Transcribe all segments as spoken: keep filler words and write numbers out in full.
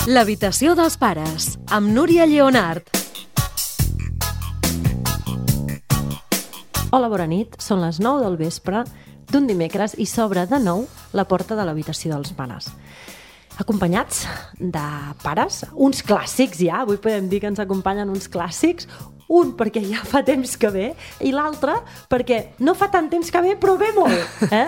L'habitació dels pares, amb Núria Lleonart. Hola, bona nit. Són les nou del vespre d'un dimecres i s'obre de nou la porta de l'habitació dels pares. Acompanyats de pares, uns clàssics ja, avui podem dir que ens acompanyen uns clàssics, un perquè ja fa temps que ve i l'altre perquè no fa tant temps que ve però ve molt, eh?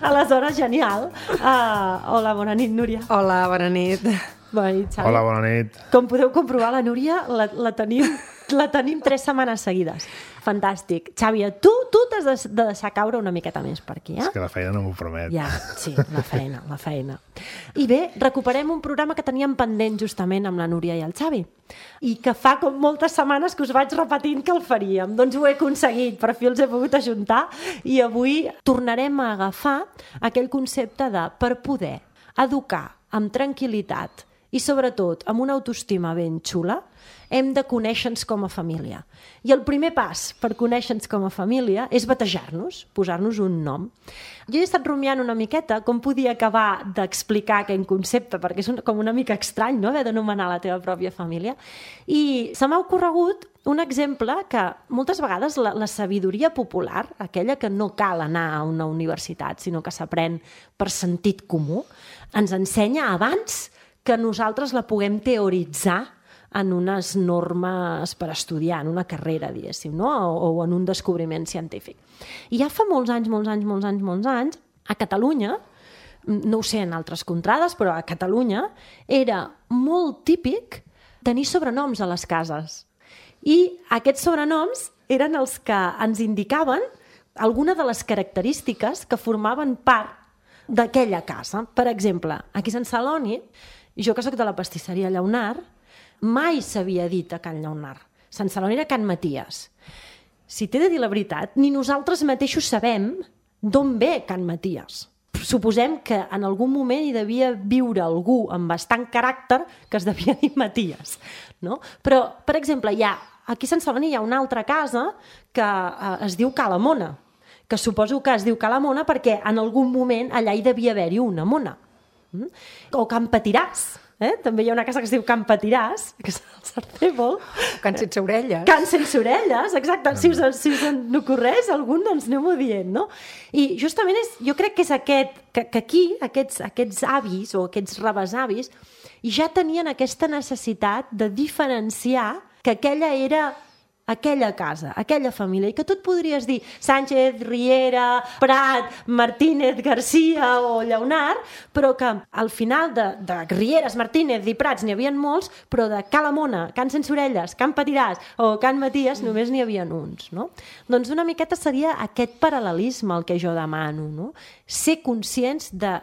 Aleshores, genial. Uh, hola, bona nit, Núria. Hola, bona nit. Bona nit, Xavi. Hola, bona nit. Com podeu comprovar, la Núria la, la, tenim, la tenim tres setmanes seguides. Fantàstic. Xavi, tu, tu t'has de, de deixar caure una miqueta més per aquí, eh? És que la feina no m'ho promet. Ja, sí, la feina, la feina. I bé, recuperem un programa que teníem pendent justament amb la Núria i el Xavi i que fa com moltes setmanes que us vaig repetint que el faríem. Doncs ho he aconseguit, per fi els he pogut ajuntar i avui tornarem a agafar aquell concepte de per poder educar amb tranquil·litat i sobretot amb una autoestima ben xula, hem de conèixer-nos com a família. I el primer pas per conèixer-nos com a família és batejar-nos, posar-nos un nom. Jo he estat rumiant una miqueta com podia acabar d'explicar aquell concepte, perquè és un, com una mica estrany, no?, haver d'anomenar la teva pròpia família. I se m'ha ocorregut un exemple que moltes vegades la, la sabidoria popular, aquella que no cal anar a una universitat, sinó que s'aprèn per sentit comú, ens ensenya abans que nosaltres la puguem teoritzar en unes normes per estudiar, en una carrera, diguéssim, no? o, o en un descobriment científic. I ja fa molts anys, molts anys, molts anys, molts anys, a Catalunya, no ho sé en altres contrades, però a Catalunya era molt típic tenir sobrenoms a les cases. I aquests sobrenoms eren els que ens indicaven alguna de les característiques que formaven part d'aquella casa. Per exemple, aquí a Sant Celoni, jo que soc de la pastisseria Lleonart, mai s'havia dit a Can Lleonart. Sant Celoni era Can Maties. Si t'he de dir la veritat, ni nosaltres mateixos sabem d'on ve Can Maties. Suposem que en algun moment hi devia viure algú amb bastant caràcter que es devia dir Maties, no? Però, per exemple, hi ha, aquí a Sant Celoni hi ha una altra casa que eh, es diu Ca la Mona, que suposo que es diu Ca la Mona perquè en algun moment allà hi devia haver-hi una mona. Mm? O Can Patiràs. Eh? També hi ha una casa que es diu Can Patiràs, que és el Sarcébol. Can sense orelles. Can sense orelles, exacte. Si us, si us en ocorreix algun, doncs aneu-ho dient, no? I justament és, jo crec que és aquest, que, que aquí aquests, aquests avis o aquests rebesavis ja tenien aquesta necessitat de diferenciar que aquella era aquella casa, aquella família, i que tu et podries dir Sánchez, Riera, Prat, Martínez, Garcia o Lleonart, però que al final de, de Rieres, Martínez i Prats n'hi havia molts, però de Ca la Mona, Can sense orelles, Can Patiràs o Can Maties només n'hi havia uns, no? Doncs una miqueta seria aquest paral·lelisme el que jo demano, no? Ser conscients de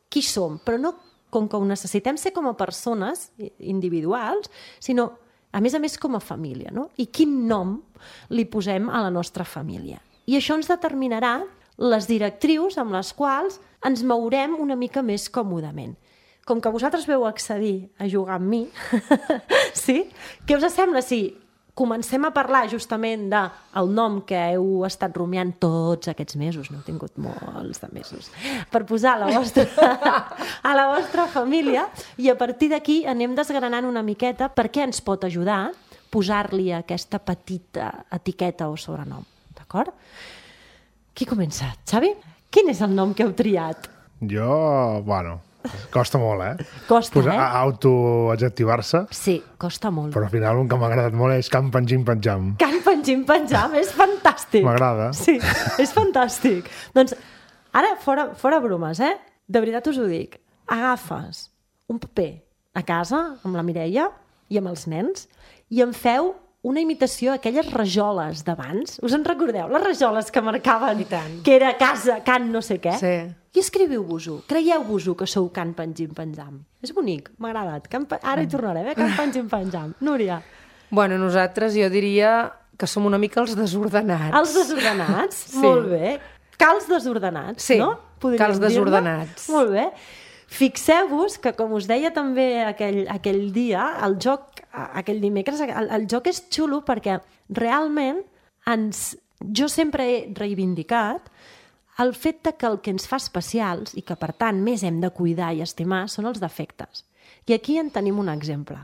qui som, però no com que ho necessitem ser com a persones individuals, sinó a més a més com a família, no? I quin nom li posem a la nostra família. I això ens determinarà les directrius amb les quals ens mourem una mica més còmodament. Com que vosaltres veu accedir a jugar amb mi, sí? Què us sembla si comencem a parlar justament del nom que heu estat rumiant tots aquests mesos, no heu tingut molts de mesos, per posar a la vostra, a la vostra família, i a partir d'aquí anem desgranant una miqueta per què ens pot ajudar posar-li aquesta petita etiqueta o sobrenom, d'acord? Qui comença? Xavi? Quin és el nom que heu triat? Jo, bueno, costa molt, eh? Costa, Posar, eh? Autoadjectivar-se. Sí, costa molt. Però al final un que m'ha agradat molt és Can Pengim Penjam. Can Pengim Penjam, és fantàstic. M'agrada. Sí, és fantàstic. Doncs ara, fora, fora bromes, eh? De veritat us ho dic. Agafes un paper a casa amb la Mireia i amb els nens i en feu una imitació d'aquelles rajoles d'abans. Us en recordeu? Les rajoles que marcaven que era casa, Can no sé què. Sí. I escriviu-vos-ho. Creieu-vos-ho que sou Can Pengim Penjam. És bonic, m'ha agradat. Can... Ara hi tornarem, eh? Can Pengim Penjam. Núria. Bueno, nosaltres jo diria que som una mica els desordenats. Els desordenats? Sí. Molt bé. Cals desordenats, sí, no? Podríem cals desordenats. dir-ne? Molt bé. Fixeu-vos que, com us deia també aquell, aquell dia, el joc, aquell dimecres, el, el joc és xulo perquè realment ens, jo sempre he reivindicat el fet de que el que ens fa especials i que per tant més hem de cuidar i estimar són els defectes. I aquí en tenim un exemple.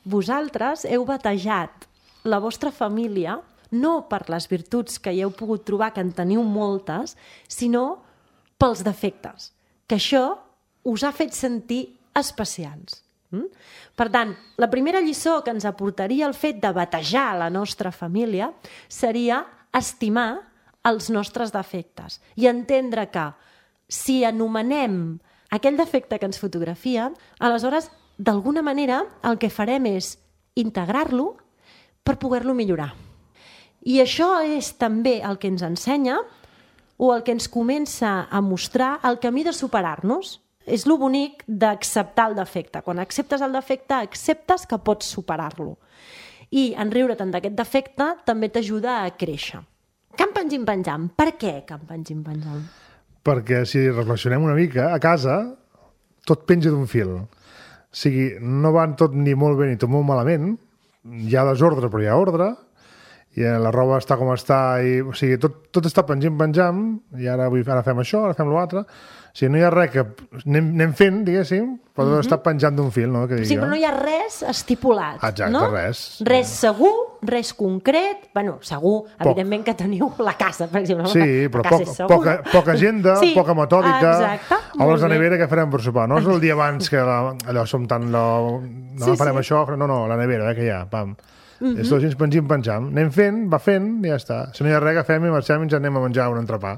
Vosaltres heu batejat la vostra família no per les virtuts que hi heu pogut trobar, que en teniu moltes, sinó pels defectes, que això us ha fet sentir especials. Mm? Per tant, la primera lliçó que ens aportaria el fet de batejar la nostra família seria estimar els nostres defectes i entendre que si anomenem aquell defecte que ens fotografia, aleshores, d'alguna manera, el que farem és integrar-lo per poder-lo millorar. I això és també el que ens ensenya o el que ens comença a mostrar el camí de superar-nos. És lo bonic d'acceptar el defecte. Quan acceptes el defecte, acceptes que pots superar-lo. I en riure-te'n d'aquest defecte també t'ajuda a créixer. Camp Pengim Penjam. Per què Camp Pengim Penjam? Perquè si reflexionem una mica, a casa tot penja d'un fil. O sigui, no van tot ni molt bé ni tot molt malament. Hi ha desordre, però hi ha ordre. I la roba està com està. I, o sigui, tot, tot està pengim, penjam. I ara, avui, ara fem això, ara fem l'altre. O sigui, no hi ha res que anem, anem fent, diguéssim, però mm-hmm. està penjant d'un fil, no? Que sí, però no hi ha res estipulat. Exacte, no? res. Res segur, res concret. Bueno, segur, Poc. evidentment que teniu la casa, per exemple. Sí, però poc, poca, poca agenda, sí, poca metòdica. Exacte. A les de nevera que farem per sopar. No és el dia abans que la, allò som tan... La, no sí, farem sí. això, no, no, la nevera, eh, que hi ha, pam. Mm-hmm. És tot així, pengim, penjam. Anem fent, va fent, i ja està. Si no hi ha res, agafem i marxem i ens anem a menjar un entrepà.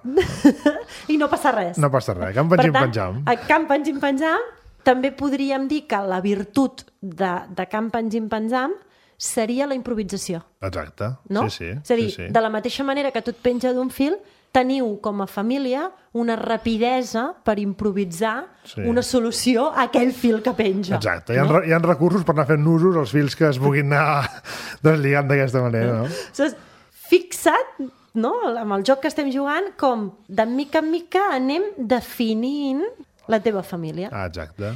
I no passa res. No passa res. Camp Pengim Penjam. A Camp Pengim Penjam també podríem dir que la virtut de, de Camp Pengim Penjam seria la improvisació. Exacte. No? Sí, sí. És a dir, sí, sí. de la mateixa manera que tot penja d'un fil, teniu com a família una rapidesa per improvisar sí. una solució a aquell fil que penja. Exacte. Hi ha, no? hi ha recursos per anar fent usos als fils que es puguin anar deslligant d'aquesta manera. No? Aleshores, fixa't, no? amb el joc que estem jugant, com de mica en mica anem definint la teva família. Ah, exacte.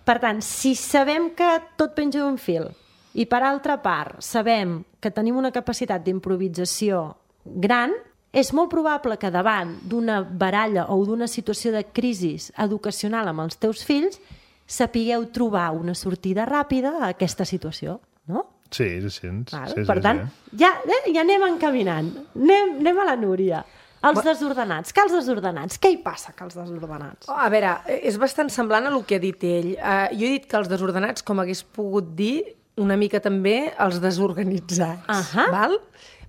Per tant, si sabem que tot penja d'un fil i per altra part sabem que tenim una capacitat d'improvisació gran, és molt probable que davant d'una baralla o d'una situació de crisi educacional amb els teus fills sapigueu trobar una sortida ràpida a aquesta situació, no? Sí, sí, sí. Vale? sí per sí, tant, sí. Ja, eh, ja anem encaminant. Anem, anem a la Núria. Els desordenats. Que els desordenats? Què hi passa, que els desordenats? Oh, a veure, és bastant semblant a el que ha dit ell. Uh, jo he dit que els desordenats, com hagués pogut dir, una mica també els desorganitzats. Uh-huh. Val?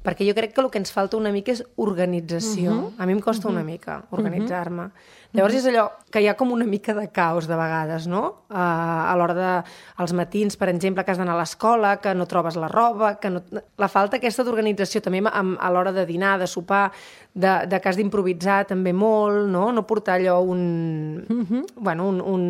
Perquè jo crec que el que ens falta una mica és organització. Uh-huh. A mi em costa uh-huh. una mica organitzar-me. Uh-huh. Llavors és allò que hi ha com una mica de caos de vegades, no? Uh, a l'hora de... als matins, per exemple, que has d'anar a l'escola, que no trobes la roba, que no... La falta aquesta d'organització també a l'hora de dinar, de sopar, de, de que has d'improvisar també molt, no? No portar allò un... Uh-huh. Bueno, un... un...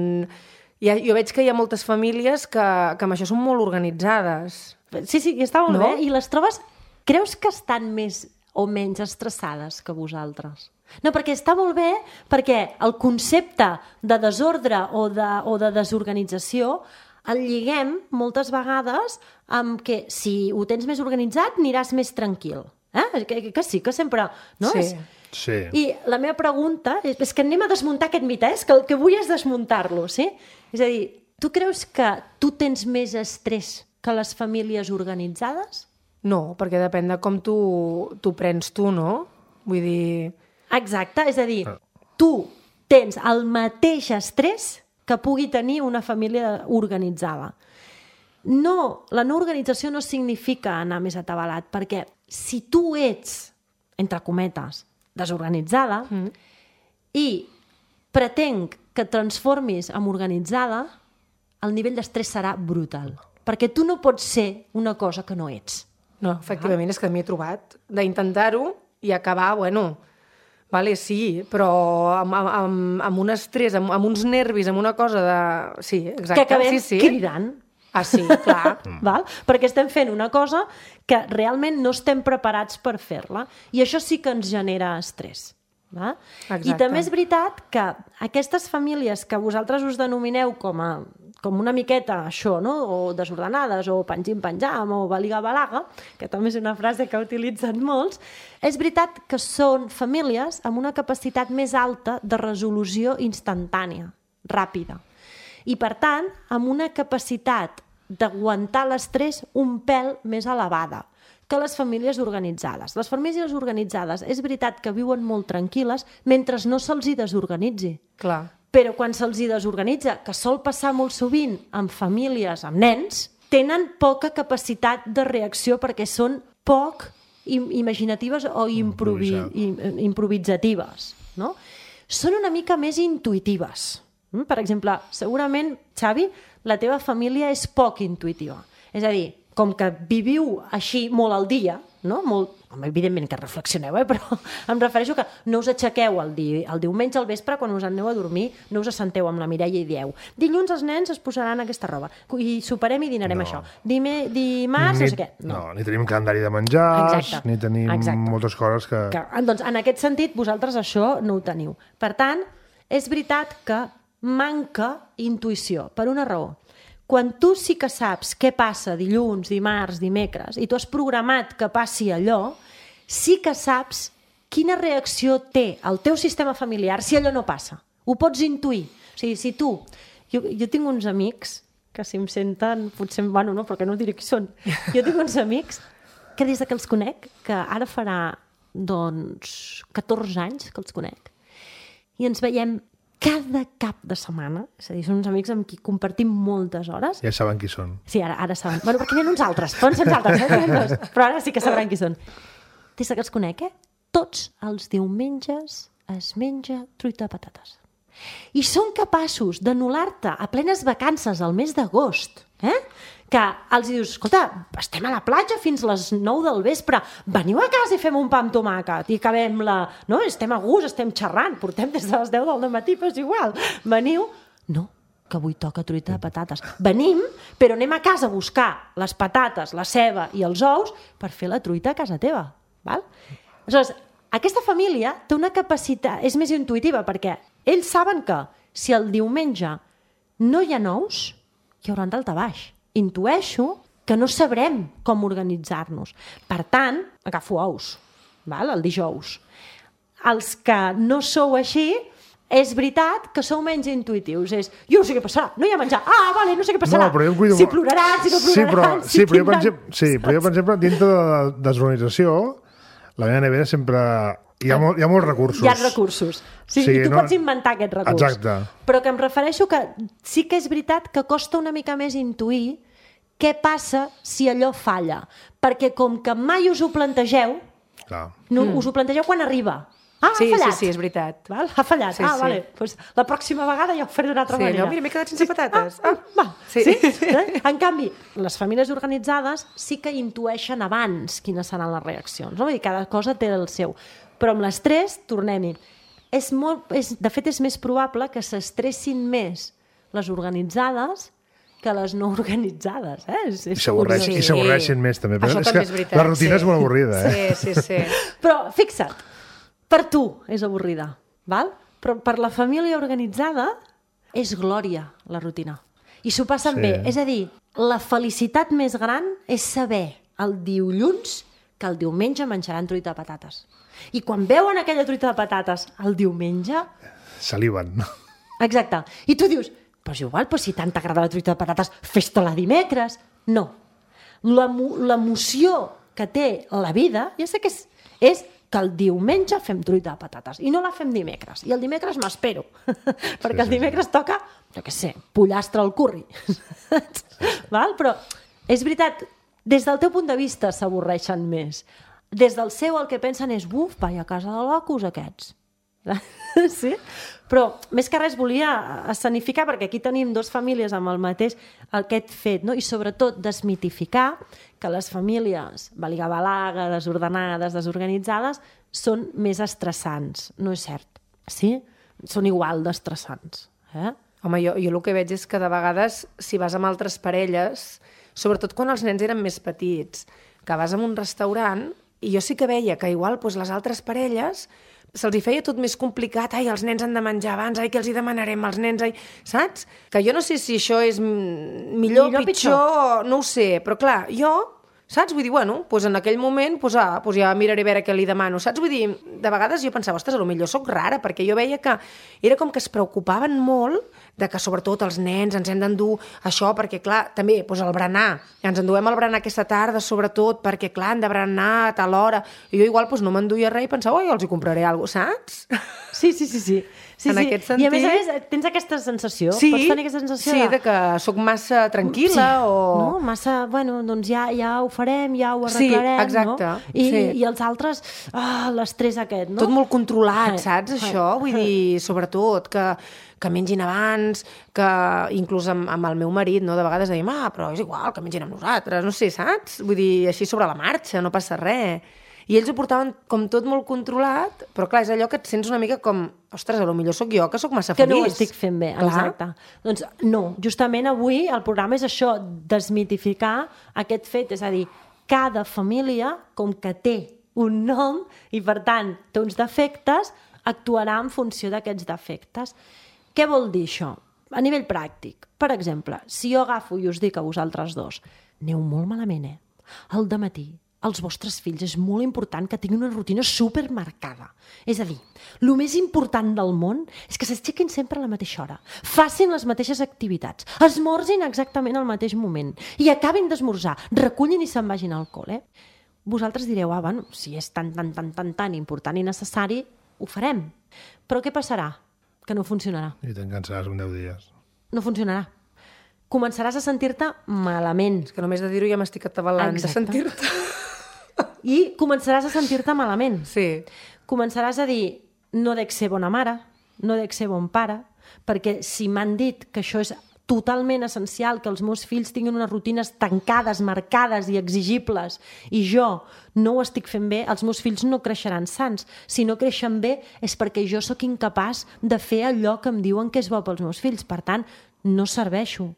Ja, jo veig que hi ha moltes famílies que, que amb això són molt organitzades. Sí, sí, està molt no? bé. I les trobes... Creus que estan més o menys estressades que vosaltres? No, perquè està molt bé, perquè el concepte de desordre o de, o de desorganització el lliguem moltes vegades amb que si ho tens més organitzat aniràs més tranquil. Eh? Que, que sí, que sempre... No? Sí. Sí. I la meva pregunta és, és que anem a desmuntar aquest mite, eh? És que el que vull és desmuntar-lo, sí? És a dir, tu creus que tu tens més estrès que les famílies organitzades? No, perquè depèn de com tu, tu prens tu, no? Vull dir... Exacte, és a dir, tu tens el mateix estrès que pugui tenir una família organitzada. No, la no organització no significa anar més atabalat, perquè si tu ets, entre cometes, desorganitzada mm. i pretenc que et transformis en organitzada, el nivell d'estrès serà brutal. Perquè tu no pots ser una cosa que no ets. No, efectivament, és que m'hi he trobat d'intentar-ho i acabar, bueno, vale, sí, però amb, amb, amb un estrès, amb, amb uns nervis, amb una cosa de... Sí, exacte. Que acabem sí, sí. cridant. Ah, sí, clar. Val? Perquè estem fent una cosa que realment no estem preparats per fer-la. I això sí que ens genera estrès. Va? I també és veritat que aquestes famílies que vosaltres us denomineu com a com una miqueta això, no? O desordenades, o pengim-penjam, o baliga-balaga, que també és una frase que utilitzen molts, és veritat que són famílies amb una capacitat més alta de resolució instantània, ràpida. I, per tant, amb una capacitat d'aguantar l'estrès un pèl més elevada que les famílies organitzades. Les famílies organitzades és veritat que viuen molt tranquil·les mentre no se'ls hi desorganitzi. Clar. Però quan se'ls hi desorganitza, que sol passar molt sovint amb famílies, amb nens, tenen poca capacitat de reacció perquè són poc imaginatives o improvi improvisatives. No? Són una mica més intuitives. Per exemple, segurament, Xavi, la teva família és poc intuitiva. És a dir, com que viviu així molt al dia, no? Molt... evidentment que reflexioneu, eh? Però em refereixo que no us aixequeu el, di... el diumenge al vespre quan us aneu a dormir, no us assenteu amb la Mireia i dieu dilluns els nens es posaran aquesta roba i soparem i dinarem no. això. Dime... Dimarts, ni, no sé què. No. no, ni tenim calendari de menjars, Exacte. ni tenim Exacte. moltes coses que... que... Doncs en aquest sentit, vosaltres això no ho teniu. Per tant, és veritat que manca intuïció, per una raó. Quan tu sí que saps què passa dilluns, dimarts, dimecres, i tu has programat que passi allò, sí que saps quina reacció té el teu sistema familiar si allò no passa. Ho pots intuir. O sigui, si tu... Jo, jo tinc uns amics que si em senten, potser... Bueno, no, perquè no diré qui són. Jo tinc uns amics que des que els conec, que ara farà, doncs, catorze anys que els conec, i ens veiem cada cap de setmana, és a dir, són uns amics amb qui compartim moltes hores. Ja saben qui són. Sí, ara, ara saben. Bueno, perquè n'hi ha uns altres, poden ser uns altres, eh? Però ara sí que sabran qui són. Des que els conec, eh? Tots els diumenges es menja truita de patates. I són capaços d'anul·lar-te a plenes vacances al mes d'agost, eh? Que els dius, escolta, estem a la platja fins les nou del vespre, veniu a casa i fem un pa amb tomàquet i acabem la... No? Estem a gust, estem xerrant, portem des de les deu del matí, però és igual. Veniu... No, que avui toca truita de patates. Venim, però anem a casa a buscar les patates, la ceba i els ous per fer la truita a casa teva. Val? Aleshores, aquesta família té una capacitat, és més intuïtiva, perquè ells saben que si el diumenge no hi ha nous, hi haurà daltabaix. Intueixo que no sabrem com organitzar-nos. Per tant, agafo ous, val? El dijous. Els que no sou així, és veritat que sou menys intuïtius. És, jo no sé què passarà, no hi ha menjar. Ah, vale, no sé què passarà. No, però jo cuido... Si ploraran, si no ploraran, sí, però, si sí, però jo, per tindran... exemple, sí, però jo, per exemple, dintre de la desorganització, la meva nevera sempre... Hi ha, molt, hi ha molts recursos. Hi ha recursos. Sí, sí, I tu no... pots inventar aquest recurs. Exacte. Però que em refereixo que sí que és veritat que costa una mica més intuir què passa si allò falla. Perquè com que mai us ho plantegeu, Clar. no, mm. us ho plantegeu quan arriba. Ah, sí, ha fallat. Sí, sí, és veritat. Val? Ha fallat. Sí, ah, sí. vale. Pues la pròxima vegada ja ho faré d'una altra sí, manera. No, mira, m'he quedat sense patates. Ah, ah, va. Sí. Sí? Eh? En canvi, les famílies organitzades sí que intueixen abans quines seran les reaccions. No? Vull dir, cada cosa té el seu. Però amb l'estrès, tornem-hi. És molt, és, de fet, és més probable que s'estressin més les organitzades que les no organitzades. Eh? És, és I s'avorreixin sí. més, també. Però Això és també que és veritat. la rutina sí. és molt avorrida. Eh? Sí, sí, sí. Però, fixa't, per tu és avorrida, val? Però per la família organitzada és glòria, la rutina. I s'ho passen sí. bé. És a dir, la felicitat més gran és saber el dilluns que el diumenge menjaran truita de patates. I quan veuen aquella truita de patates el diumenge... Saliven. Exacte. I tu dius, però és igual, però si tant t'agrada la truita de patates, fes-te-la dimecres. No. L'emoció que té la vida, ja sé que és, és que el diumenge fem truita de patates i no la fem dimecres. I el dimecres m'espero, perquè sí, el dimecres sí. toca, jo què sé, pollastre al curri. Val? Però és veritat, des del teu punt de vista s'avorreixen més. Des del seu el que pensen és, buf, vai a casa de locos aquests. Sí? Però més que res volia escenificar, perquè aquí tenim dues famílies amb el mateix aquest fet, no? I sobretot desmitificar que les famílies baligabalaga, desordenades, desorganitzades són més estressants. No és cert, sí? Són igual d'estressants. Eh? Home, jo, jo el que veig és que de vegades si vas amb altres parelles, sobretot quan els nens eren més petits, que vas a un restaurant i jo sí que veia que igual doncs, les altres parelles se'ls hi feia tot més complicat, ai, els nens han de menjar abans, ai, què els hi demanarem als nens, ai, saps? Que jo no sé si això és millor o pitjor, pitjor, no ho sé, però clar, jo, Saps? Vull dir, bueno, doncs en aquell moment doncs, ah, doncs ja miraré a veure què li demano. Saps? Vull dir, de vegades jo pensava, ostres, potser soc rara, perquè jo veia que era com que es preocupaven molt de que sobretot els nens ens hem d'endur això, perquè clar, també, doncs el berenar, ens enduem el berenar aquesta tarda, sobretot, perquè clar, han de berenar a tal hora. I jo igual doncs, no m'enduia res i pensava, oi, els hi compraré alguna cosa, saps? Sí, sí, sí, sí. sí en sí. aquest sentit... I a més a més, tens aquesta sensació? Sí, Pots tenir aquesta sensació sí, de... de que sóc massa tranquil·la sí, o... No, massa, bueno, doncs ja, ja ho farem, ja ho arreglarem, sí, exacte, no? I, sí. I els altres, ah, l'estrès aquest, no? Tot molt controlat, saps, ai, això? ai, Vull dir, sobretot, que, que mengin abans, que inclús amb, amb el meu marit, no? De vegades dèiem, ah, però és igual, que mengin amb nosaltres, no sé, saps? Vull dir, així sobre la marxa, no passa res. I ells ho portaven com tot molt controlat, però clar, és allò que et sents una mica com, ostres, potser sóc jo, que sóc massa feliç. Que no ho estic fent bé, clar. Exacte. Doncs no, justament avui el programa és això, desmitificar aquest fet, és a dir, cada família, com que té un nom i per tant té uns defectes, actuarà en funció d'aquests defectes. Què vol dir això? A nivell pràctic, per exemple, si jo agafo i us dic a vosaltres dos, aneu molt malament, eh? Al dematí, als vostres fills és molt important que tinguin una rutina supermarcada. És a dir, el més important del món és que s'aixequin sempre a la mateixa hora, facin les mateixes activitats, esmorzin exactament al mateix moment i acabin d'esmorzar, recullin i se'n vagin al col·le. Vosaltres direu, ah, bueno, si és tan, tan, tan, tan, tan important i necessari, ho farem. Però què passarà? Que no funcionarà. I te'n cansaràs en deu dies. No funcionarà. Començaràs a sentir-te malament. És que només de dir-ho ja m'estic atabalant de sentir-te. I començaràs a sentir-te malament. Sí. Començaràs a dir, no dec ser bona mare, no dec ser bon pare, perquè si m'han dit que això és totalment essencial, que els meus fills tinguin unes rutines tancades, marcades i exigibles, i jo no ho estic fent bé, els meus fills no creixeran sants. Si no creixen bé és perquè jo sóc incapaç de fer allò que em diuen que és bo pels meus fills. Per tant, no serveixo.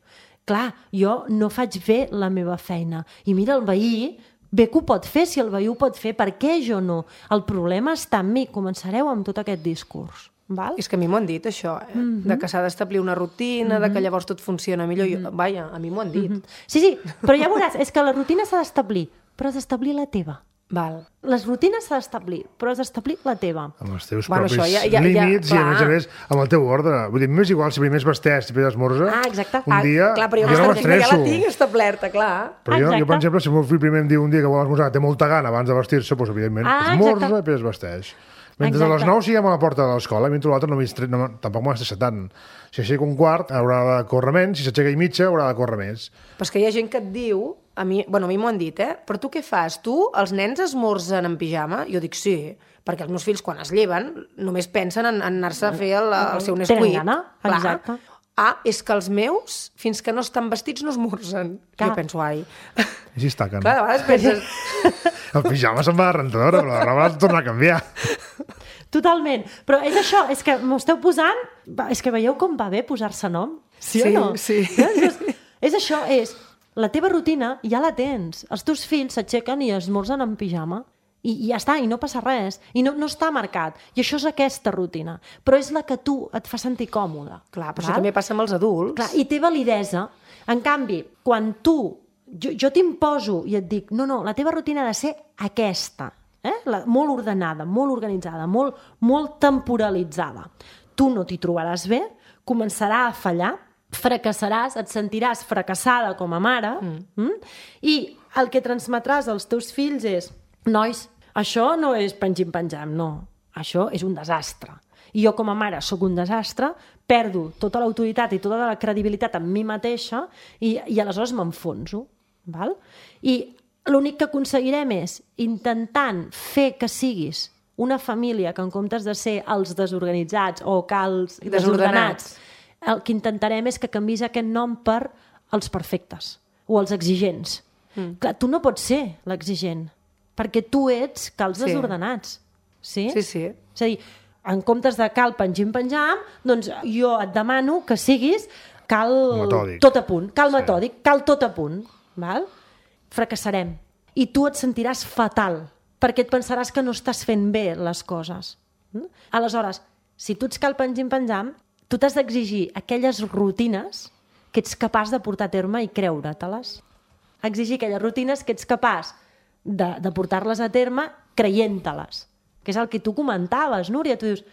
Clar, jo no faig bé la meva feina. I mira, el veí bé que ho pot fer, si el veí ho pot fer, per què jo no? El problema està en mi. Començareu amb tot aquest discurs. Val? És que a mi m'ho han dit, això, eh? Mm-hmm. De que s'ha d'establir una rutina, mm-hmm. de que llavors tot funciona millor. Mm-hmm. Jo, vaja, a mi m'ho han dit. Mm-hmm. Sí, sí, però ja veuràs, és que la rutina s'ha d'establir, però has d'establir la teva. Val. Les rutines s'ha d'establir, però has d'establir la teva. Amb els teus bueno, propis això, ja, ja, límits ja, i, a més a més, amb el teu ordre. Vull dir, m'és igual si primer es vesteix, després esmorza. Ah, exacte. Un dia, ah, clar, però jo, jo no m'estresso. Ja la tinc establerta, clar. Però jo, jo, per exemple, si el meu fill primer em diu un dia que vol esmorzar, té molta gana abans de vestir-se, doncs, evidentment, ah, esmorza i després es vesteix. Mentre exacte. A les nou siguem a la porta de l'escola, mentre l'altre no, no, tampoc m'ho estressa tant. Si aixeca un quart, haurà de córrer menys, si s'aixeca i mitja, haurà de córrer més. Però és que hi ha gent que et diu, a mi, bueno, a mi m'ho han dit, eh? Però tu què fas? Tu, els nens esmorzen en pijama? Jo dic sí, perquè els meus fills, quan es lleven, només pensen en, en anar-se a fer el, el seu Nesquik. Tenen gana, exacte. Ah, és que els meus, fins que no estan vestits, no esmorzen. Clar. Jo penso, ai... I si es taquen. Clar, de vegades penses... El pijama se'n va de rentadora, però la roba has de tornar a canviar. Totalment. Però és això, és que m'ho esteu posant... És que veieu com va bé posar-se nom? Sí, sí o no? Sí, sí. És això, és... La teva rutina ja la tens. Els teus fills s'aixequen i esmorzen en pijama. I, i ja està, i no passa res. I no, no està marcat. I això és aquesta rutina. Però és la que tu et fa sentir còmode. Clar, però val? Això també passa amb els adults. Clar, i té validesa. En canvi, quan tu... Jo, jo t'imposo i et dic, no, no, la teva rutina ha de ser aquesta. Eh? La, molt ordenada, molt organitzada, molt, molt temporalitzada. Tu no t'hi trobaràs bé, començarà a fallar, fracassaràs, et sentiràs fracassada com a mare, mm. Mm? I el que transmetràs als teus fills és, nois, això no és pengim-penjam, no, això és un desastre. I jo com a mare sóc un desastre, perdo tota l'autoritat i tota la credibilitat en mi mateixa i, i aleshores m'enfonso. Val? I l'únic que aconseguirem és, intentant fer que siguis una família que en comptes de ser els desorganitzats o que els desordenats, desordenats el que intentarem és que canvis aquest nom per els perfectes o els exigents. Mm. Clar, tu no pots ser l'exigent, perquè tu ets cal els sí. desordenats. Sí? Sí, sí. És a dir, en comptes de cal pengim-penjam, doncs jo et demano que siguis cal metòdic. Tot a punt, cal sí. metòdic, cal tot a punt. Val? Fracassarem. I tu et sentiràs fatal, perquè et pensaràs que no estàs fent bé les coses. Mm? Aleshores, si tu ets cal pengim-penjam, tu t'has d'exigir aquelles rutines que ets capaç de portar a terme i creure-te-les. exigir aquelles rutines que ets capaç de, de portar-les a terme creient-te-les. Que és el que tu comentaves, Núria. Tu dius,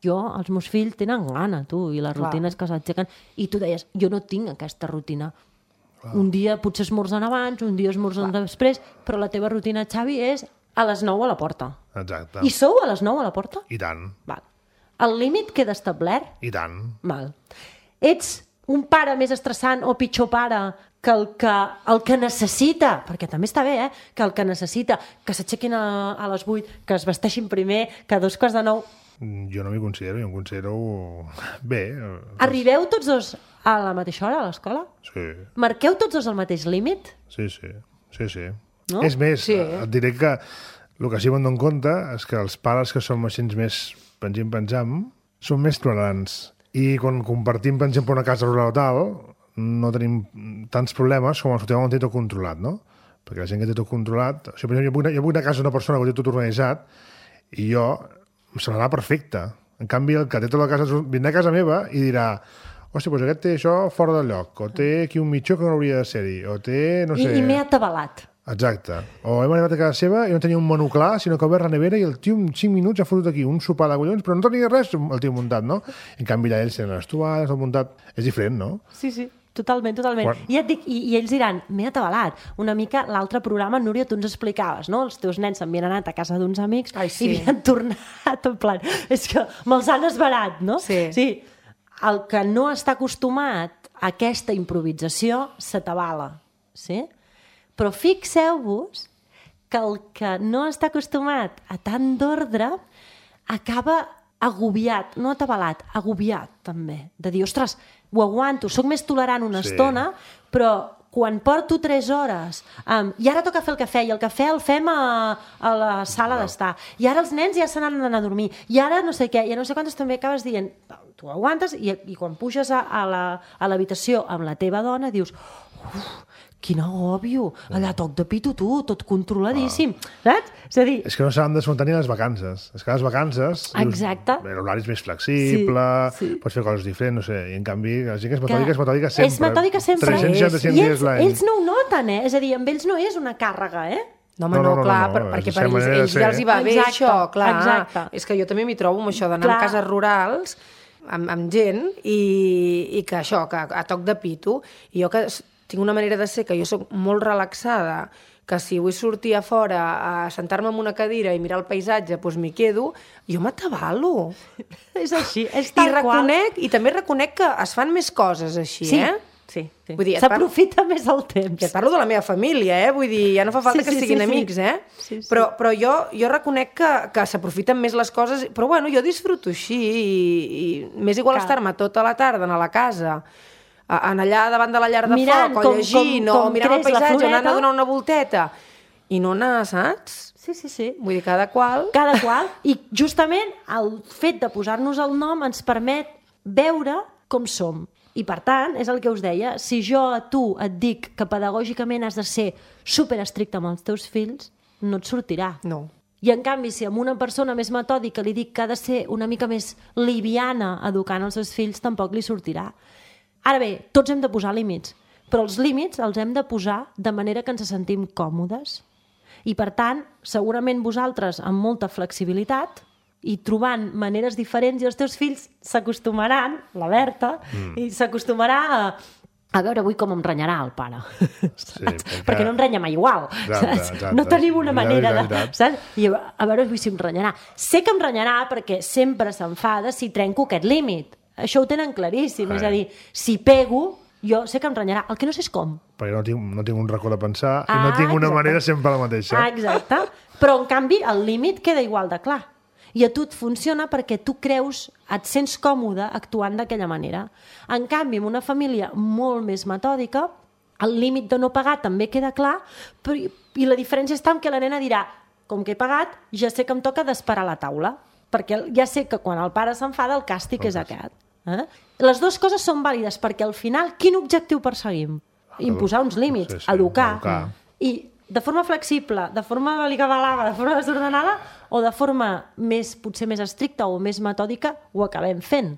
jo, els meus fills tenen gana, tu, i les rutines que s'aixequen. I tu deies, jo no tinc aquesta rutina. Clar. Un dia potser esmorzen abans, un dia esmorzen Clar. després, però la teva rutina, Xavi, és a les nou a la porta. Exacte. I sou a les nou a la porta? I tant. Val. El límit queda establert? I tant. Val. Ets un pare més estressant o pitjor pare que el que, el que necessita, perquè també està bé, eh? Que el que necessita, que s'aixequin a, a les vuit, que es vesteixin primer, que a dos quarts de nou... Jo no m'hi considero, jo em considero bé. Arribeu tots dos a la mateixa hora a l'escola? Sí. Marqueu tots dos el mateix límit? Sí, sí. sí, sí. No? És més, sí. et diré que el que sí que me'n dono compte és que els pares que som així més pengim-penjam són més tolerants. I quan compartim, per exemple, una casa rural o tal, no tenim tants problemes com els que tenen un té tot controlat, no? Perquè la gent que té tot controlat... O sigui, per exemple, jo vull, anar, jo vull anar a casa d'una persona que té tot organitzat i jo em semblarà perfecte. En canvi, el que té tota la casa vindrà a casa meva i dirà hòstia, doncs aquest té això fora del lloc, o té aquí un mitjó que no hauria de ser-hi, o té, no sé... I, i m'he atabalat. Exacte. O hem arribat a casa seva i no tenia un menú clar, sinó que ha obert la nevera i el tio en cinc minuts ha fotut aquí un sopar de collons, però no tenia res el tio muntat, no? En canvi, allà ells tenen les tovalles, el muntat... És diferent, no? Sí, sí. Totalment, totalment. Quan... I, et dic, i, I ells diran, m'he atabalat. Una mica l'altre programa, Núria, tu ens explicaves, no? Els teus nens s'havien anat a casa d'uns amics Ai, sí. i havien tornat en plan... És que me'ls han esbarat, no? Sí. sí. El que no està acostumat a aquesta improvisació s'atabala, sí? Però fixeu-vos que el que no està acostumat a tant d'ordre acaba agobiat, no atabalat, agobiat també, de dir, ostres, ho aguanto, sóc més tolerant una Sí. estona, però quan porto tres hores um, i ara toca fer el cafè, i el cafè el fem a, a la sala d'estar, i ara els nens ja se n'han d'anar a dormir, i ara no sé què, i no sé quantes també acabes dient, tu aguantes, i, i quan puges a, a la, a l'habitació amb la teva dona dius, uf, quin agòbio, allà toc de pito tu, tot controladíssim, saps? És a dir... És que no saben desmuntar ni les vacances. És que les vacances... Exacte. Dius, l'horari és més flexible, Sí, sí. pots fer coses diferents, no sé, i en canvi la gent que és metòdica és metòdica sempre. És metòdica sempre. tres-cents seixanta-cinc I dies ells, l'any. ells no ho noten, eh? És a dir, amb ells no és una càrrega, eh? No, home, No, no, no, no, clar, no, no, per, perquè és per la ells, manera de ells ser. ja els hi va bé Exacte, això, clar. exacte. És que jo també m'hi trobo amb això d'anar Clar. a cases rurals amb, amb gent i, i que això, que a toc de pito, i jo que tinc una manera de ser que jo sóc molt relaxada, que si vull sortir a fora a sentar-me en una cadira i mirar el paisatge, doncs m'hi quedo, jo m'atabalo. És així, és I tal qual. reconec, i també reconec que es fan més coses així, Sí, eh? sí, sí. Vull dir, et parlo- s'aprofita més el temps. I et parlo de la meva família, eh? Vull dir, ja no fa falta Sí, que sí, siguin sí, sí. amics, eh? Sí, sí. Però, però jo, jo reconec que, que s'aprofiten més les coses, però bueno, jo disfruto així, i, i m'és igual Clar. estar-me tota la tarda a la casa, a, en allà davant de la llar de Mirant foc, o com- llegint, com- com o mirant el creix la paisatge, o anant a floreta. donar una volteta, i no anar, saps? Sí, sí, sí. Vull dir, cada qual... Cada qual. I justament el fet de posar-nos el nom ens permet veure com som. I per tant, és el que us deia, si jo a tu et dic que pedagògicament has de ser superestricte amb els teus fills, no et sortirà. No. I en canvi, si a una persona més metòdica li dic que ha de ser una mica més liviana educant els seus fills, tampoc li sortirà. Ara bé, tots hem de posar límits, però els límits els hem de posar de manera que ens sentim còmodes. I per tant, segurament vosaltres amb molta flexibilitat i trobant maneres diferents, i els teus fills s'acostumaran, la Berta, mm. i s'acostumarà a... A veure, avui com em renyarà el pare. Sí, perquè... perquè no em renya mai igual. Exacte, Saps? exacte. No tenim una Ja, manera és de... veritat. Saps? I a a veure avui si em renyarà. Sé que em renyarà perquè sempre s'enfada si trenco aquest límit. Això ho tenen claríssim. Sí. És a dir, si pego, jo sé que em renyarà. El que no sé és com. Perquè no tinc, no tinc un racó de pensar i Ah, no tinc una exacte. manera sempre la mateixa. Ah, exacte. Però, en canvi, el límit queda igual de clar. I a tu et funciona perquè tu creus, et sents còmode actuant d'aquella manera. En canvi, en una família molt més metòdica, el límit de no pagar també queda clar, però, i la diferència està en que la nena dirà, com que he pagat, ja sé que em toca d'esperar a la taula, perquè ja sé que quan el pare s'enfada el càstig és aquest. Eh? Les dues coses són vàlides, perquè al final, quin objectiu perseguim? Imposar uns límits, Sí, sí, educar. educar. I de forma flexible, de forma balicabalada, de forma desordenada, o de forma més, potser més estricta o més metòdica, ho acabem fent.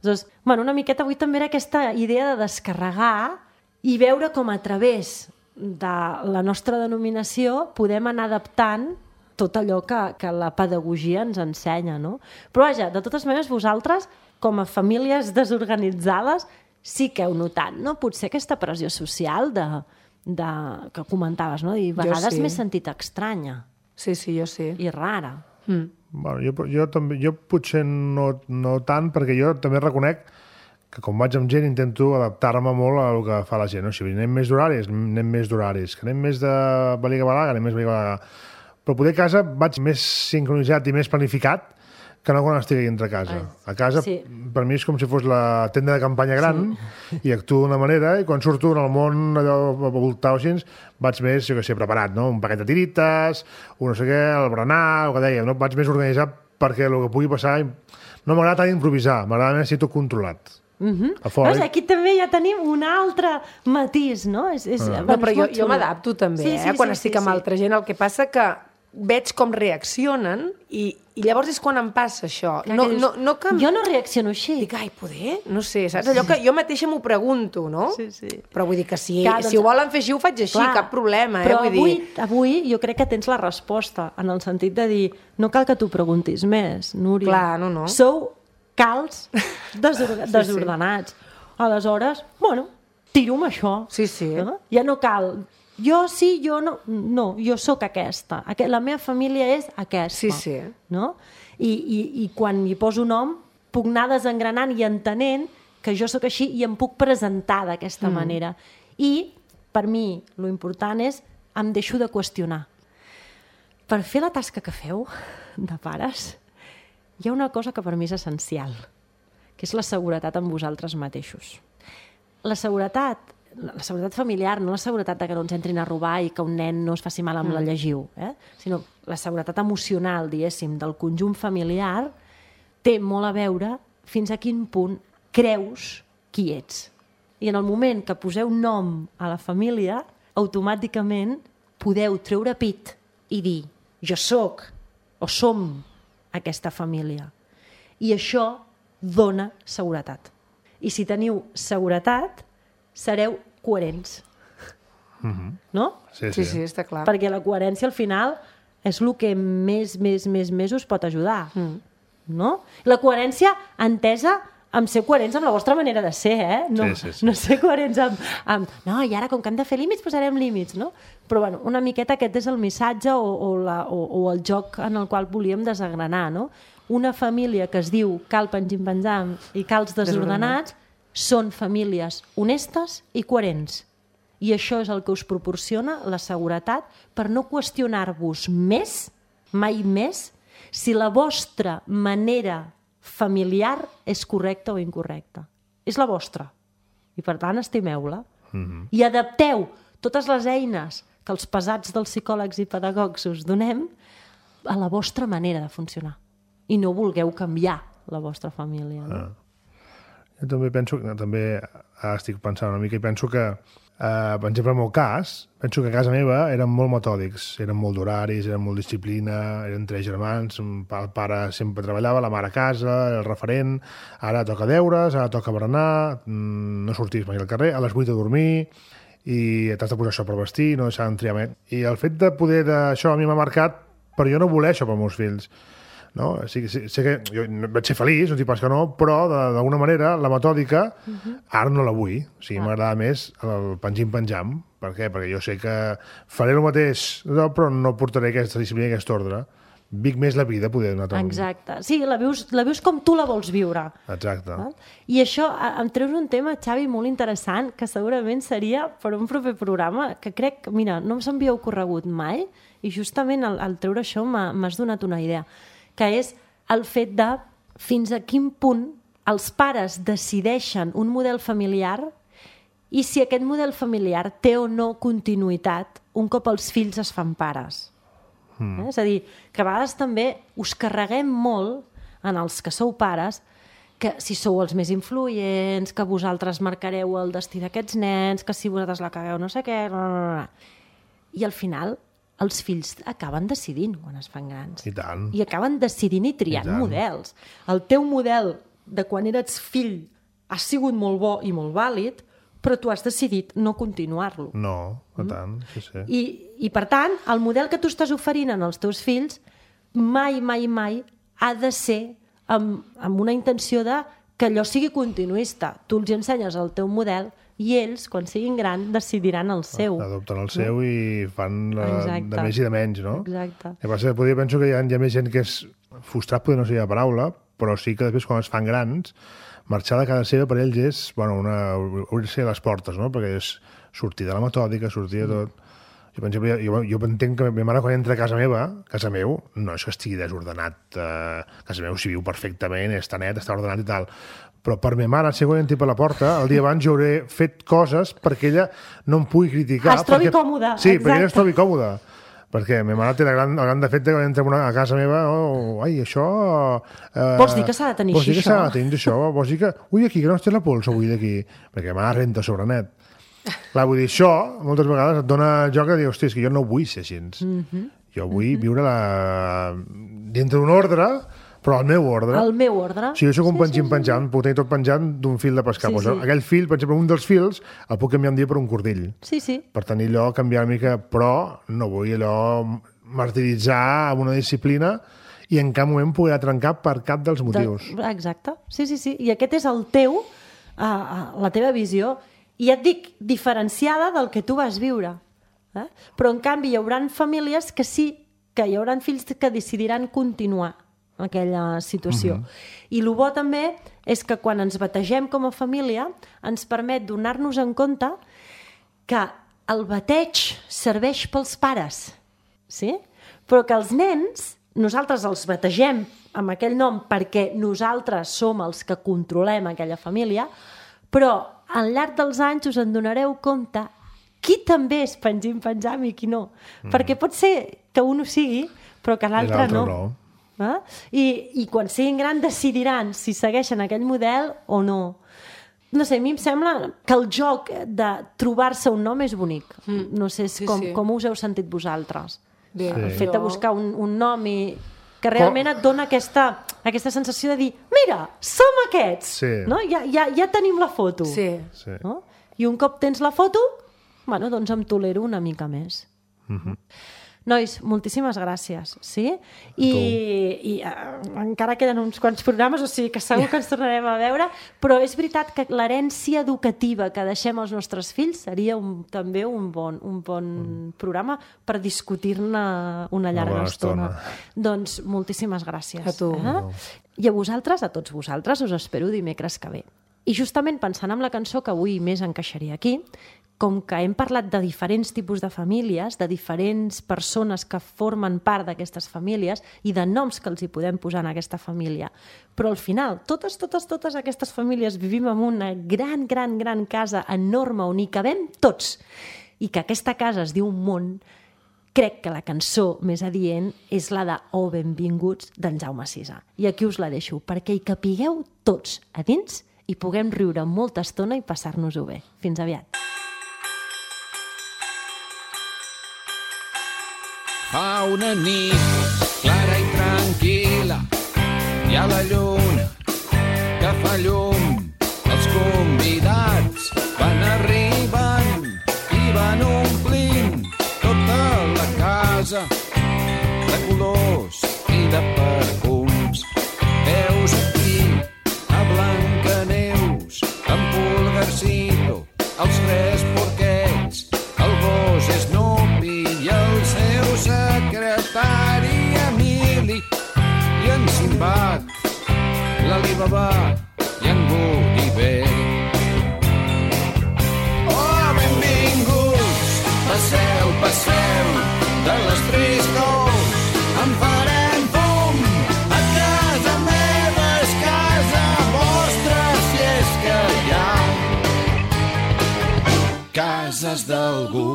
Aleshores, bueno, una miqueta avui també era aquesta idea de descarregar i veure com a través de la nostra denominació podem anar adaptant tot allò que, que la pedagogia ens ensenya, no? Però vaja, de totes maneres, vosaltres, com a famílies desorganitzades, sí que heu notat, no? Potser aquesta pressió social de, de, que comentaves, no? I a vegades sí. m'he sentit estranya. Sí, sí, jo sí. I rara. Mm. Bueno, jo, jo, també, jo potser no, no tant, perquè jo també reconec que com vaig amb gent intento adaptar-me molt al que fa la gent. No? Si anem més d'horaris, anem més d'horaris. Que anem més de baliga-balaga, anem més baliga-balaga. Però poder a casa vaig més sincronitzat i més planificat que no quan estic aquí entre casa. A casa, sí. per mi és com si fos la tenda de campanya gran sí. i actuo d'una manera i quan surto en el món allò a voltar o així, vaig més, jo què sé, preparat, no? Un paquet de tirites, un no sé què, el berenar, el que dèiem, no? Vaig més organitzat perquè el que pugui passar... No m'agrada tant improvisar, m'agrada més si tot controlat. Uh-huh. Veus, aquí també ja tenim un altre matís, no? És, és, ah. No, però jo, jo m'adapto també, sí, sí, eh? Quan sí, estic sí, amb sí. altra gent, el que passa que veig com reaccionen i, i llavors és quan em passa això. Clar, no, dius, no, no que... Jo no reacciono així. Dic, ai, poder? No sé, saps? Allò que jo mateixa m'ho pregunto, no? Sí, sí. Però vull dir que si, Clar, doncs... si doncs... ho volen fer així, ho faig així, Clar, cap problema, eh? Però vull avui, dir... avui jo crec que tens la resposta, en el sentit de dir, no cal que t'ho preguntis més, Núria. Clar, no, no. Sou calts desor... sí, desordenats. Sí. Aleshores, bueno, tiro amb això. Sí, sí. No? Ja no cal... Jo sí, jo no... No, jo sóc aquesta. La meva família és aquesta. Sí, sí. No? I, i, I quan hi poso nom, puc anar desengranant i entenent que jo sóc així i em puc presentar d'aquesta mm. manera. I, per mi, lo important és em deixo de qüestionar. Per fer la tasca que feu, de pares, hi ha una cosa que per mi és essencial, que és la seguretat en vosaltres mateixos. La seguretat, la seguretat familiar, no la seguretat de que no ens entrin a robar i que un nen no es faci mal amb mm. la llegiu, eh? Sinó la seguretat emocional, diguéssim, del conjunt familiar té molt a veure fins a quin punt creus qui ets. I en el moment que poseu nom a la família, automàticament podeu treure pit i dir jo sóc o som aquesta família. I això dona seguretat. I si teniu seguretat, sereu coherents. Mm-hmm. No? Sí, sí, sí, sí, està clar. Perquè la coherència, al final, és el que més, més, més, més us pot ajudar. Mm. No? La coherència entesa amb ser coherents amb la vostra manera de ser, eh? No, sí, sí, sí. no ser coherents amb, amb... No, i ara, com que hem de fer límits, posarem límits, no? Però, bueno, una miqueta aquest és el missatge o, o, la, o, o el joc en el qual volíem desagranar, no? Una família que es diu cal pengim-penjam i cals desordenats són famílies honestes i coherents. I això és el que us proporciona la seguretat per no qüestionar-vos més, mai més, si la vostra manera familiar és correcta o incorrecta. És la vostra. I, per tant, estimeu-la. Mm-hmm. I adapteu totes les eines que els pesats dels psicòlegs i pedagogs us donem a la vostra manera de funcionar. I no vulgueu canviar la vostra família. No? Ah. Jo també penso, també ara estic pensant una mica i penso que, eh, per exemple, en el meu cas, penso que a casa meva eren molt metòdics, eren molt d'horaris, eren molt disciplina, eren tres germans, el pare sempre treballava, la mare a casa, el referent, ara toca deures, ara toca berenar, no sortis mai al carrer, a les vuit a dormir, i t'has de posar això per vestir, no deixar d'entriar més. I el fet de poder d'això a mi m'ha marcat, però jo no voler això pels meus fills. No? Sí, sí, sé que jo vaig ser feliç, no t'hi pas que no, però d'alguna manera la metòdica uh-huh. ara no la vull. O sigui, ah. m'agrada més el pengim-penjam. Per què? Perquè jo sé que faré el mateix, però no portaré aquesta disciplina i aquest ordre. Vic més la vida, poder donar tant. Exacte. Sí, la vius, la vius com tu la vols viure. Exacte. I això, em treus un tema, Xavi, molt interessant, que segurament seria per un proper programa, que crec, mira, no se'm havia ocorregut mai, i justament al, al treure això m'has donat una idea, que és el fet de fins a quin punt els pares decideixen un model familiar i si aquest model familiar té o no continuïtat un cop els fills es fan pares. Mm. Eh? És a dir, que a vegades també us carreguem molt en els que sou pares que si sou els més influents, que vosaltres marcareu el destí d'aquests nens, que si vosaltres la cagueu no sé què... No, no, no. I al final els fills acaben decidint quan es fan grans. I tant. I acaben decidint i triant I models. El teu model de quan eres fill ha sigut molt bo i molt vàlid, però tu has decidit no continuar-lo. No, per tant, sí, sí. I, I, per tant, el model que tu estàs oferint als teus fills mai, mai, mai ha de ser amb, amb una intenció de que allò sigui continuista. Tu els ensenyes el teu model i ells, quan siguin grans, decidiran el seu. Adopten el seu no? i fan la, de més i de menys, no? Exacte. El que passa que podria, penso que hi ha, hi ha més gent que és frustrat, potser no seria la paraula, però sí que després quan es fan grans marxar de casa seva per ells és, bueno, una, obrir-se les portes, no? Perquè és sortir de la metòdica, sortir de tot. Jo, per exemple, jo, jo entenc que ma mare quan entra a casa meva, casa meu, no és que estigui desordenat, eh, casa meu s'hi viu perfectament, està net, està ordenat i tal, però per ma mare, si quan entri per la porta, el dia abans jo hauré fet coses perquè ella no em pugui criticar. Es trobi perquè... còmoda. Sí, exacte. perquè ella es trobi còmoda. Perquè ma mare té el gran, el gran defecte que quan entra una, a casa meva, oh, ai, això... Eh, vols dir que s'ha de tenir vols així, dir que això? s'ha de tenir això? Vols dir que... Ui, aquí, que no es té la pols avui d'aquí. Perquè ma mare renta sobre net. Clar, vull dir, això, moltes vegades et dona joc a dir, hòstia, és que jo no vull ser així. Mm-hmm. Jo vull mm-hmm. viure la... dintre d'un ordre, però al meu ordre. El meu ordre. Si jo soc un sí, penjant sí, penjant, sí. puc tenir tot penjant d'un fil de pescar. Sí, pues, sí. Aquell fil, per exemple, un dels fils, el puc canviar un dia per un cordill. Sí, sí. Per tenir allò, canviar una mica, però no vull allò martiritzar amb una disciplina i en cap moment poder trencar per cap dels motius. De... Exacte. Sí, sí, sí. I aquest és el teu, uh, la teva visió, i et dic, diferenciada del que tu vas viure. Eh? Però, en canvi, hi haurà famílies que sí, que hi haurà fills que decidiran continuar aquella situació. Mm-hmm. I el bo també és que quan ens bategem com a família ens permet donar-nos en compte que el bateig serveix pels pares, sí? Però que els nens, nosaltres els bategem amb aquell nom perquè nosaltres som els que controlem aquella família, però al llarg dels anys us en donareu compte qui també és pengim-penjam i qui no. Mm. Perquè pot ser que un ho sigui, però que l'altre no. no. Eh? I, I quan siguin grans decidiran si segueixen aquell model o no. No sé, a mi em sembla que el joc de trobar-se un nom és bonic. Mm. No sé sí, com, sí. com us heu sentit vosaltres. Bé, el sí. fet de buscar un, un nom i que realment et dona aquesta, aquesta sensació de dir mira, som aquests! Sí. No? Ja, ja, ja tenim la foto. Sí. Sí. No? I un cop tens la foto, bueno, doncs em tolero una mica més. Mm-hmm. Nois, moltíssimes gràcies, sí? I, i uh, encara queden uns quants programes, o sigui que segur que ens tornarem a veure, però és veritat que l'herència educativa que deixem als nostres fills seria un, també un bon, un bon mm. programa per discutir-ne una llarga una estona. estona. Doncs moltíssimes gràcies. A tu. Eh? No. I a vosaltres, a tots vosaltres, us espero dimecres que ve. I justament pensant en la cançó que avui més encaixaria aquí, com que hem parlat de diferents tipus de famílies, de diferents persones que formen part d'aquestes famílies i de noms que els hi podem posar en aquesta família. Però al final, totes, totes, totes aquestes famílies vivim en una gran, gran, gran casa enorme on hi cabem tots. I que aquesta casa es diu món, crec que la cançó més adient és la de Oh, benvinguts, d'en Jaume Sisa. I aquí us la deixo, perquè hi capigueu tots a dins i puguem riure molta estona i passar-nos-ho bé. Fins aviat. Fa una nit clara i tranquil·la, hi ha la lluna que fa llum. Els convidats van arribant i van omplint tota la casa de colors i de perfums. Veus aquí a Blancaneus, en Pulgarcito, els tres porquets, el gos Snoopy i el seu secretari Emili i en Sinbad, l'Alibaba i en Gulliver. Oh, benvinguts, passeu, passeu, de les tres nous en farem fum. A casa meva és casa vostra, si és que hi ha cases d'algú.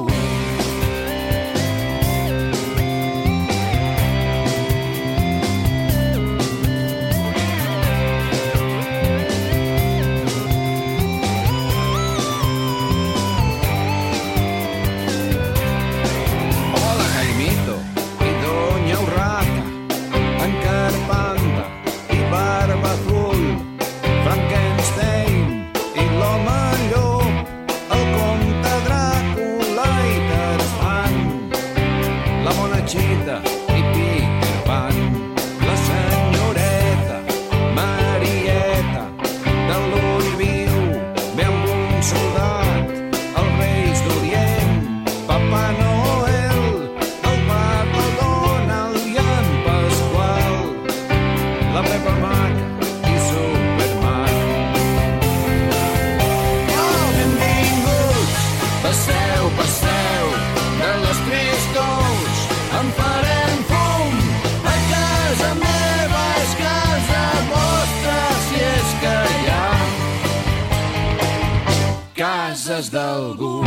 cases d'algú.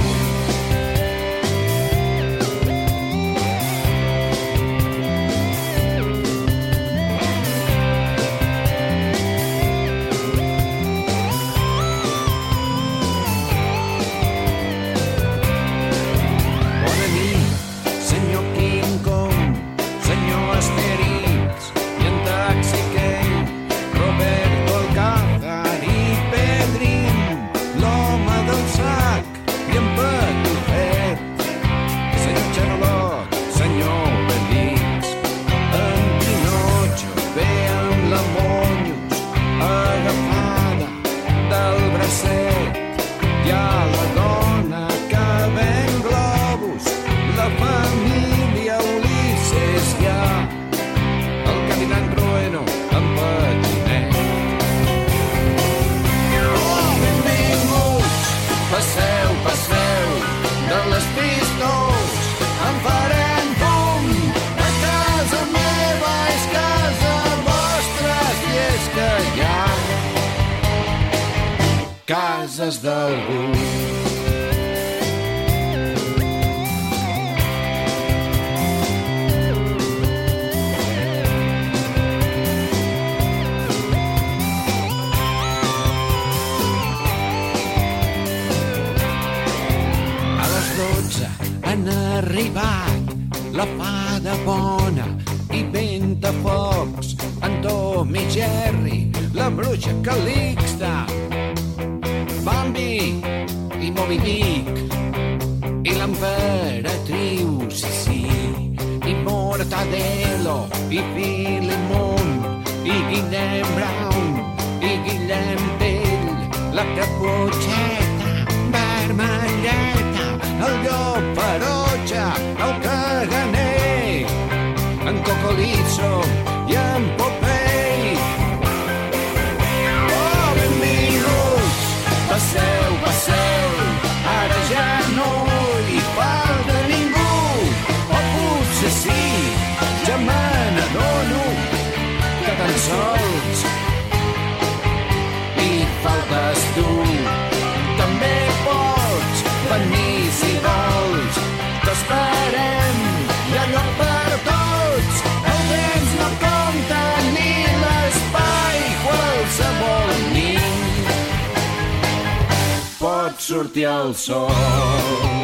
Cases d'algú. A les dotze han arribat la fada bona i Ventafocs, en Tom i Jerry, la bruixa Calixta, Bambi i Moby Dick i l'emperatriu Sissi i Mortadelo i Filemon i Guillem Brown i Guillem Tell, la Caputxeta vermelleta, el llop ferotge, el caganer, en Cocolizo i en Popeye. Oh, benvinguts! Passeu, passeu, ara ja no hi falta ningú. O potser sí, ja me n'adono que tan sols hi faltes tu. També pots venir si vols, t'esperem, hi ha lloc per tots. El temps no compta ni l'espai, qualsevol nit pot sortir el sol.